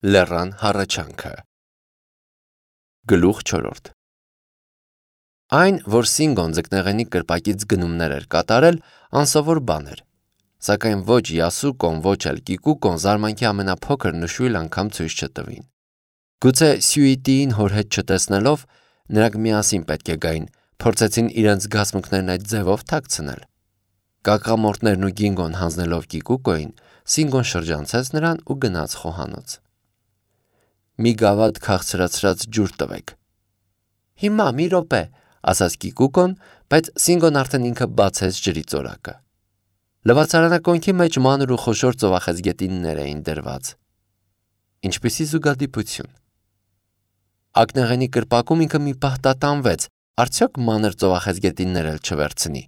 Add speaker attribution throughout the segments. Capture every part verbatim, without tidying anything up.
Speaker 1: Լեռան հառաչանքը։ Գլուխ չորրորդ։ Այն, որ Սինգոն ձկնեղենի կրպակից գնումներ էր կատարել, անսովոր բան էր, սակայն ոչ Յասուկոն, ոչ էլ Կիկուկոն զարմանքի ամենափոքր նշույլ անգամ ցույց չտվին։ Գուցե Սյուիտիին հոր հետ չտեսնելով, նրանք միասին պետք է գային, փորձեցին իրենց զգացմունքներն այդ ձևով թաքցնել։ Կակամորտներն ու Գինգոն հանձնելով Կիկուկոին, Սինգոն շրջանցեց նրան ու գնաց խոհանոց։ Մի գավաթ քաղցրացրած ջուր տվեք։ Հիմա մի րոպե, ասաց Կիկուկոն, բայց Սինգոն արդեն ինքը բացեց ջրի ծորակը։ Լվացարանակոնքի մեջ մանր ու խոշոր ծովախեցգետիններ էին դրված։ Ինչպիսի զուգադիպություն։ Ակնեղենի կրպակում ինքը մի պահ տատանվեց, արդյոք մանր ծովախեցգետիններ էլ չվերցնի։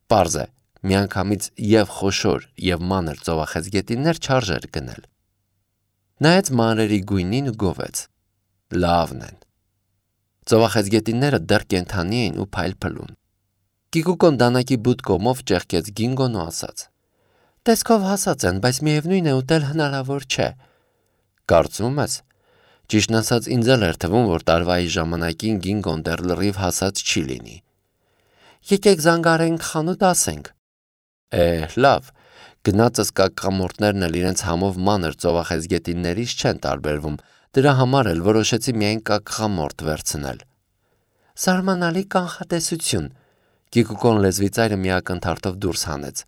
Speaker 1: Պարզ է, միանգամից եւ խոշոր եւ մանր ծովախեցգետիններ չարժեր գնել։ Նայեց մանրերի գույնին ու գովեց։ Լավն են։ Ծովախեցգետինները դեռ կենդանի էին ու փայլփլուն։ Կիկուկոն դանակի բութ կողմով ճեղքեց Գինգոն ու ասաց. Տեսքով հասած են, բայց միևնույն է ուտել հնարավոր չէ։ Կարծում ես։ Ճիշտն ասած ինձ էլ էր թվում, որ տարվայի ժամանակին Գինգոն դեռ լրիվ հասած չի լինի։ Եկեք զանգարենք խանութ ասենք։ Է, լավ։ Գնացս կակամորտներն էլ իրենց համով մանր ծովախեցգետիններից չեն տարբերվում, դրա համար էլ որոշեցի միայն կակամորտ վերցնել։ Զարմանալի կանխատեսություն։ Կիկուկոն լեզվի ծայրը մի ակնթարթով դուրս հանեց։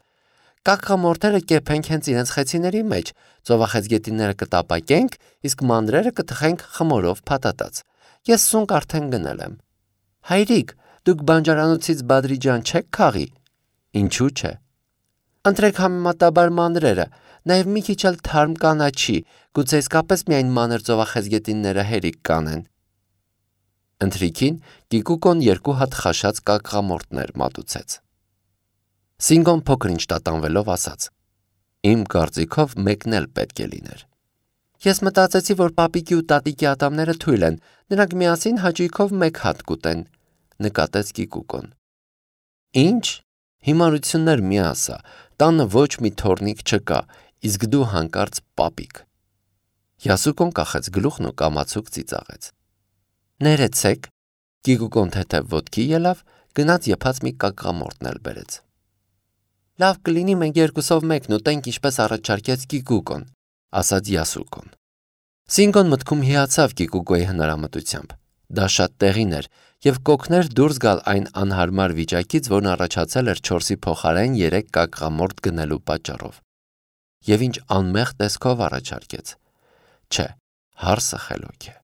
Speaker 1: Կակամորտերը կեփենք հենց իրենց խեցիների մեջ, ծովախեցգետինները կտապակենք, իսկ մանրերը կթխենք խմորով փաթաթած։ Ես սունկ արդեն գնել եմ։ Հայրիկ, դուք բանջարանոցից բադրիջան չեք քաղի։ Ինչու՞ չէ։ Ընտրեք համեմատաբար մանրերը, նաև մի քիչ էլ թարմ կանաչի, գուցե իսկապես միայն մանր ծովախեցգետինները հերիք կանեն։ Ընթրիքին Կիկուկոն երկու հատ խաշած կակամորտներ մատուցեց։ Սինգոն փոքր-ինչ տատանվելով ասաց. Իմ կարծիքով մեկն էլ պետք է լիներ։ Ես մտածեցի, որ պապիկի ու տատիկի ատամները թույլ են, նրանք միասին հաճույքով մեկ հատ կուտեն, նկատեց Կիկուկոն։ Ինչ։ Հիմարություններ մի ասա, տանը ոչ մի թորնիկ չկա, իսկ դու հանկարծ պապիկ։ Յասուկոն կախեց գլուխն ու կամացուկ ծիծաղեց։ Ներեցեք, Կիկուկոն թեթև ոտքի ելավ, գնաց եփած մի կակամորտն էլ բերեց։ Լավ կլինի մենք երկուսով մեկն ուտենք, ինչպես առաջարկեց Կիկուկոն, ասաց Յասուկոն։ Սինգոն մտքում հիացավ Կիկուկոյի հնարամտությամբ։ Դա շատ տեղին էր եւ կօգներ դուրս գալ այն անհարմար վիճակից, որն առաջացել էր չորսի փոխարեն երեք կակամորտ գնելու պատճառով։ Եվ ինչ անմեղ տեսքով առաջարկեց։ Չէ, հարսը խելոք է։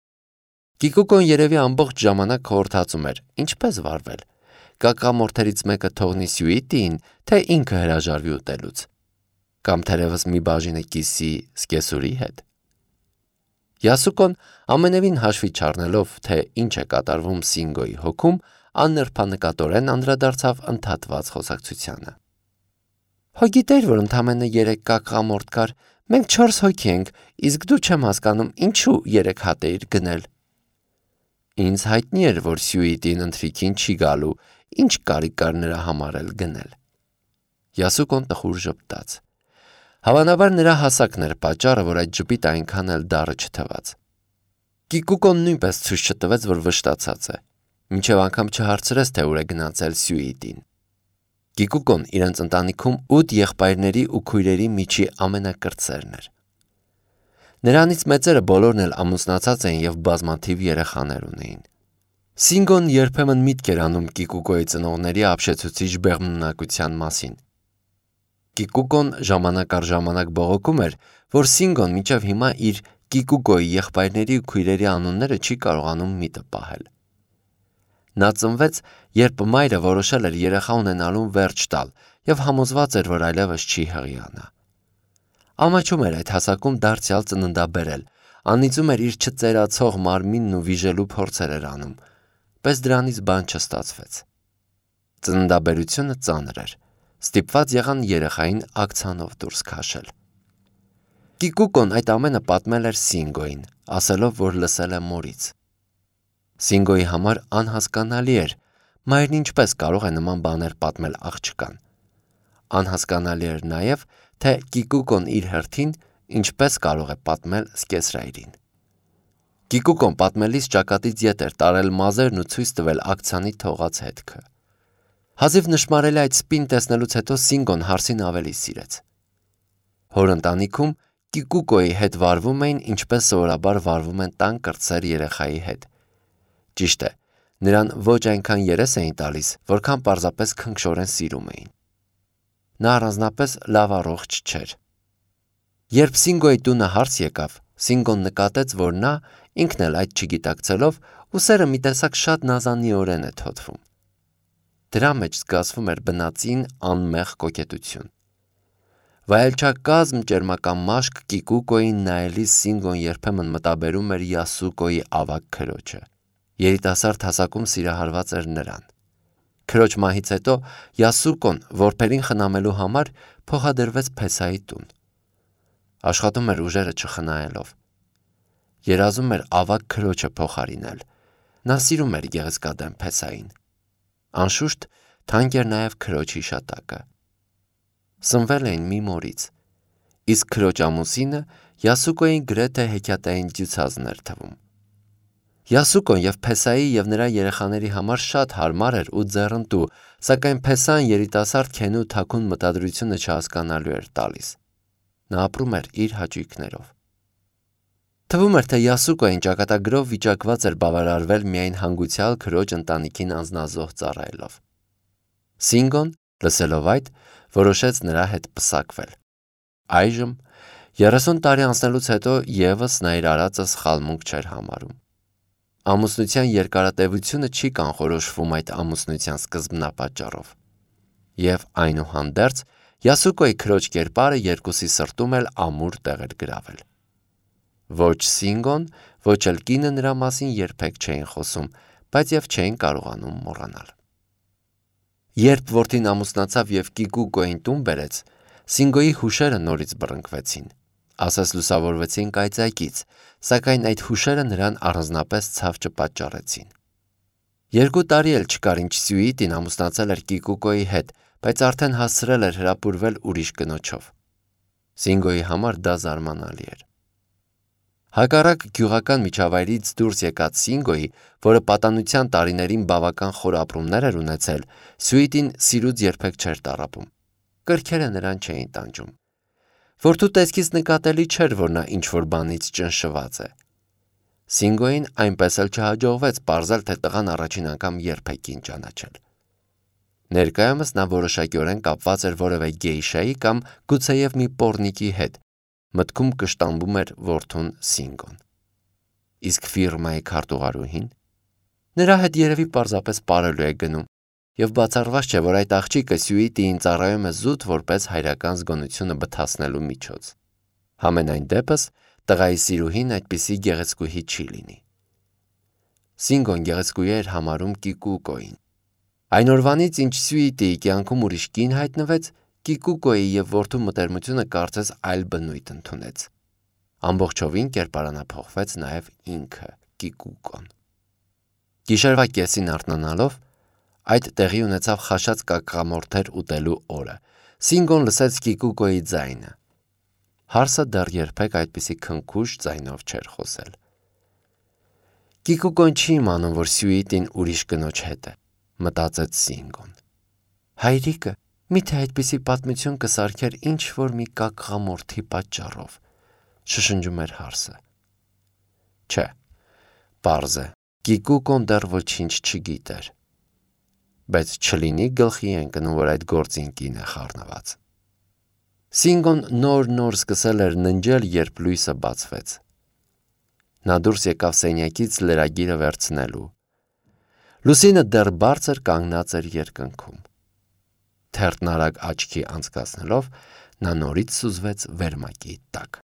Speaker 1: Կիկուկոն երևի ամբողջ ժամանակ խորհրդածում էր, ինչպես վարվել։ Կակամորտերից մեկը թողնի Սյուիտիին, թե ինքը հրաժարվի ուտելուց։ Կամ թերևս մի բաժինը կիսի սկեսուրի հետ։ Յասուկոն ամենևին հաշվի չառնելով, թե ինչ է կատարվում Սինգոյի հոգում, աննրբանկատորեն անդրադարձավ ընդհատված խոսակցությանը։ Հո գիտեր, որ ընդամենը երեք կակամորտ կար, մենք չորս հոգի ենք, իսկ դու չեմ հասկանում, ինչու երեք հատ էիր գնել։ Ինձ հայտնի էր, որ Սյուիտին ընթրիքին չի գալու, ինչ կարիք կար նրա համար էլ գնել։ Յասուկոն տխուր ժպտաց։ Հավանաբար նրա հասակն էր պատճառը, որ այդ ժպիտը այնքան էլ դառը չթվաց։ Կիկուկոն նույնպես ցույց չտվեց, որ վշտացած է, մինչև անգամ չհարցրեց, թե ուր է գնացել Սյուիտին։ Կիկուկոն իրենց ընտանիքում ութ եղբայրների ու քույրերի միջի ամենակրտսերն էր։ Նրանից մեծերը բոլորն էլ ամուսնացած էին եւ բազմաթիվ երեխաներ ունեին։ Սինգոն երբեմն միտք էր անում Կիկուկոյի ծնողների ապշեցուցիչ բեղմնունակության մասին։ Կիկուկոն ժամանակ առ ժամանակ բողոքում էր, որ Սինգոն մինչև հիմա իր Կիկուկոյի եղբայրների ու քույրերի անունները չի կարողանում միտը պահել։ Նա ծնվեց, երբ մայրը որոշել էր երեխա ունենալուն վերջ տալ եւ համոզված էր, որ այլևս չի հղիանա։ Ամաչում էր այդ հասակում դարձյալ ծննդաբերել, անիծում էր իր չծերացող մարմինն ու վիժելու փորձեր էր անում, բայց դրանից բան չստացվեց։ Ծննդաբերությունը ծանր էր, ստիպված եղան երեխային ակցանով դուրս քաշել։ Կիկուկոն այդ ամենը պատմել էր Սինգոյին, ասելով, որ լսել է մորից։ Սինգոյի համար անհասկանալի էր, մայրն ինչպես կարող է նման բաներ պատմել աղջկան։ Անհասկանալի էր նաև, թե Կիկուկոն իր հերթին ինչպես կարող է պատմել սկեսրայրին։ Կիկուկոն պատմելիս ճակատից ետ էր տարել մազերն ու ցույց տվել ակցիանի թողած հետքը։ Հազիվ նշմարելի այդ սպին տեսնելուց հետո Սինգոն հարսին ավելի սիրեց։ Հոր ընտանիքում Կիկուկոյի հետ վարվում էին, ինչպես սովորաբար վարվում են տան կրտսեր երեխայի հետ։ Ճիշտ է, նրան ոչ այնքան երես էին տալիս, որքան պարզապես քնքշորեն սիրում էին։ Նա առանձնապես լավ առողջ չէր։ Երբ Սինգոյի տունը հարս եկավ, Սինգոն նկատեց, որ նա, ինքն էլ այդ չգիտակցելով, ուսերը մի տեսակ շատ նազանիորեն է թոթվում։ Դրա մեջ զգացվում էր բնածին անմեղ կոկետություն։ Վայելչակազմ ճերմական մաշկ Կիկուկոյին նայելիս Սինգոն երբեմն մտաբերում էր Յասուկոյի ավագ քրոջը։ Երիտասարդ հասակում սիրահարված էր նրան։ Քրոջ մահից հետո Յասուկոն որբերին խնամելու համար փոխադրվեց Փեսայի տուն։ Աշխատում էր ուժերը չխնայելով։ Երազում էր ավագ քրոջը փոխարինել։ Նա սիրում էր գեղեցկադեմ Փեսային։ Անշուշտ թանկ էր նաև քրոջ հիշատակը։ Սնվել էին մի մորից, իսկ քրոջ ամուսինը Յասուկոյին գրեթե հեքիաթային ջուցազն էր թվում։ Յասուկոն և Փեսայի և նրա երեխաների համար շատ հարմար էր ու ձեռնտու, սակայն Փեսան երիտասարդ Քենու թաքուն մտադրությունը չհասկանալու էր տալիս։ Նա ապրում էր իր հաճույքներով։ Թվում էր, թե Յասուկոյին ճակատագրով վիճակված էր բավարարվել միայն հանգուցյալ քրոջ ընտանիքին անձնազոհ ծառայելով։ Սինգոն, լսելով այդ, որոշեց նրա հետ պսակվել։ Այժմ, երեսուն տարի անցնելուց հետո ևս նա իր արածը սխալմունք չէր համարում։ Ամուսնության երկարատևությունը չի կանխորոշվում այդ ամուսնության սկզբնապատճառով։ Եվ այնուհանդերձ Յասուկոյի քրոջ կերպարը երկուսի սրտում էլ ամուր տեղ էր գրավել։ Ոչ Սինգոն, ոչ էլ կինը նրա մասին երբեք չէին խոսում, բայց և չէին կարողանում մոռանալ։ Երբ որդին ամուսնացավ և Կիկուկոյին տուն բերեց, Սինգոյի հուշերը նորից բռնկվեցին, ասես լուսավորվեցին կայծակից, սակայն այդ հուշերը նրան առանձնապես ցավ չպատճառեցին։ Երկու տարի էլ չկար ինչ Սյուիտին ամուսնացել էր Կիկուկոյի հետ, բայց արդեն հասցրել էր հրապուրվել ուրիշ կնոջով։ Սինգոյի համար դա զարմանալի էր։ Հակառակ գյուղական միջավայրից դուրս եկած Սինգոյի, որը պատանության տարիներին բավական խոր ապրումներ էր ունեցել, Սյուիտին սիրուց երբեք չէր տառապում։ Կրքերը նրան չէին տանջում։ Որդու տեսքից նկատելի չէր, որ նա ինչ-որ բանից ճնշված է։ Սինգոյին այնպես էլ չհաջողվեց պարզել, թե տղան առաջին անգամ երբ է կին ճանաչել։ Ներկայումս նա որոշակիորեն կապված էր որևէ գեյշայի կամ գուցեև մի պոռնիկի հետ, մտքում կշտամբում էր որդուն Սինգոն։ Իսկ ֆիրմայի քարտուղարուհին։ Նրա հետ երևի պարզապես պարելու է գնում, և բացառված չէ, որ այդ աղջիկը Սյուիտիին ծառայում է զուտ որպես հայրական զգոնությունը բթացնելու միջոց։ Համենայն դեպս, տղայի սիրուհին այդպիսի գեղեցկուհի չի լինի։ Սինգոն գեղեցկուհի էր համարում Կիկուկոյին։ Այն օրվանից, ինչ Սյուիտիի կյանքում ուրիշ կին հայտնվեց, Կիկուկոյի և որդու մտերմությունը կարծես այլ բնույթ ընդունեց։ Ամբողջովին կերպարանափոխվեց նաև ինքը Կիկուկոն։ Գիշերվա կեսին արթնանալով, այդ տեղի ունեցավ խաշած կակամորթեր ուտելու օրը, Սինգոն լսեց Կիկուկոյի ձայնը։ Հարսը դեռ երբեք այդպիսի քնքուշ ձայնով չէր խոսել։ Կիկուկոն չի իմանում, որ Սյուիտին ուրիշ կնոջ հետ է, մտածեց Սինգոն։ Հայրիկը միթե այդպիսի պատմություն կսարքեր ինչ-որ մի կակղամորթի պատճառով, շշնջում էր հարսը։ Չէ, պարզ է, Կիկուկոն դեռ ոչինչ չգիտեր, բայց չլինի գլխի ընկնում, որ այդ գործին կին է խառնված։ Սինգոն նոր-նոր սկսել էր ննջել, երբ լույսը բացվեց։ Նա դուրս եկավ սենյակից լրագիրը վերցնելու։ Լուսինը դեռ բարձր կանգնած էր երկնքում։ Թերթն արագ աչքի անցկացնելով, նա նորից սուզվեց վերմակի տակ։